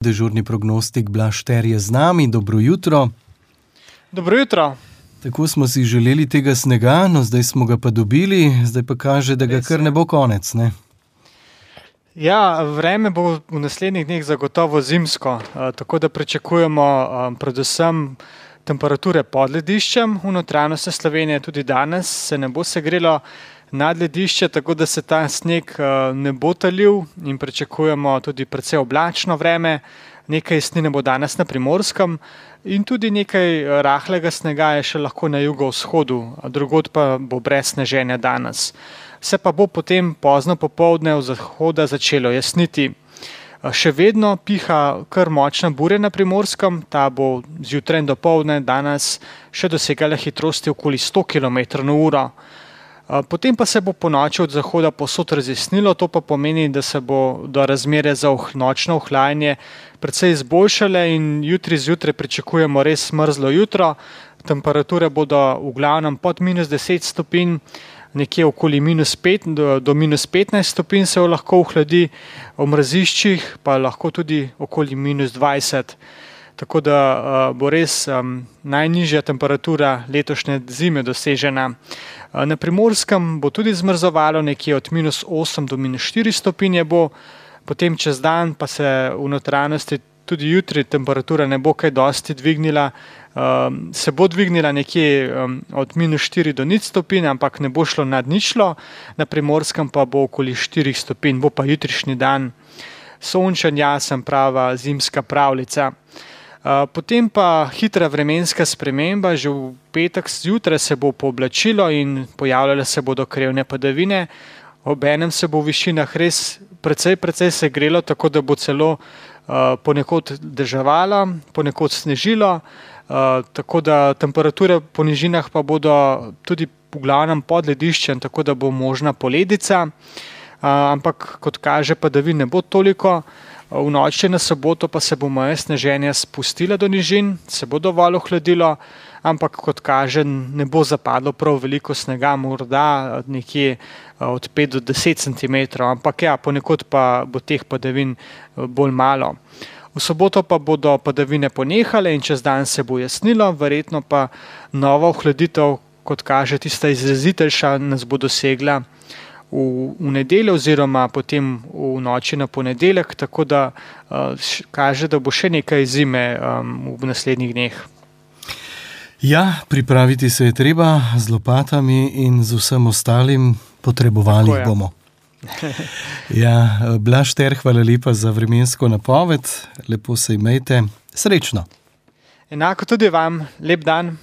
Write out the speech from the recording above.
Dežurni prognostik Blaž Ter je z nami, dobro jutro. Dobro jutro. Tako smo si želeli tega snega, no zdaj smo ga pa dobili, zdaj pa kaže, da ga kar ne bo konec, ne? Ja, vreme bo v naslednjih dneh zagotovo zimsko, tako da pričakujemo predvsem temperature pod lediščem v notranjosti Slovenije. Tudi danes se ne bo segrelo nad ledišče, tako da se ta sneg ne bo talil in pričakujemo tudi precej oblačno vreme. Nekaj snine bo danes na Primorskem in tudi nekaj rahlega snega je še lahko na jugovzhodu, drugod pa bo brez sneženja danes. Se pa bo potem pozno popoldne od zahoda začelo jasniti. Še vedno piha kar močna burja na Primorskem, ta bo zjutraj in dopoldne danes še dosegala hitrosti okoli 100 km/h. Potem pa se bo ponoči od zahoda povsod razjasnilo, to pa pomeni, da se bo do razmere za nočno ohlajanje precej izboljšale in jutri zjutraj pričakujemo res mrzlo jutro. Temperature bodo v glavnem pod -10 stopinj, nekje okoli -5 do -15 stopinj se lahko ohladi, v mraziščih pa lahko tudi okoli -20. Tako da bo res najnižja temperatura letošnje zime dosežena. Na Primorskem bo tudi zmrzovalo, nekje od -8 do -4 stopinje bo, potem čez dan pa se v notranjosti tudi jutri temperatura ne bo kaj dosti dvignila, se bo dvignila nekje od -4 do 0 stopinj, ampak ne bo šlo nad ničlo, na Primorskem pa bo okoli 4 stopinj, bo pa jutrišnji dan sončen, jasen, prava zimska pravljica. Potem pa hitra vremenska sprememba, že v petek zjutraj se bo pooblačilo in pojavljale se bodo krevne padavine, obenem se bo v višinah res precej segrelo, tako da bo celo ponekod deževalo, ponekod snežilo, tako da temperature po nižinah pa bodo tudi v glavnem pod lediščem, tako da bo možna poledica, ampak kot kaže padavin ne bo toliko. V noči na soboto pa se bo meja sneženja spustila do nižin, se bo dovolj ohladilo, ampak kot kaže ne bo zapadlo prav veliko snega, morda nekje od 5 do 10 cm, ampak ja, ponekod pa bo teh padavin bolj malo. V soboto pa bodo padavine ponehale in čez dan se bo jasnilo, verjetno pa nova ohladitev, kot kaže tista izrazitejša, nas bo dosegla v nedeljo oziroma potem v noči na ponedeljek, tako da kaže, da bo še nekaj zime v naslednjih dneh. Ja, pripraviti se je treba z lopatami in z vsem ostalim, potrebovali jih bomo. Ja, Blaž Ter, hvala lepa za vremensko napoved, lepo se imejte, srečno. Enako tudi vam, lep dan.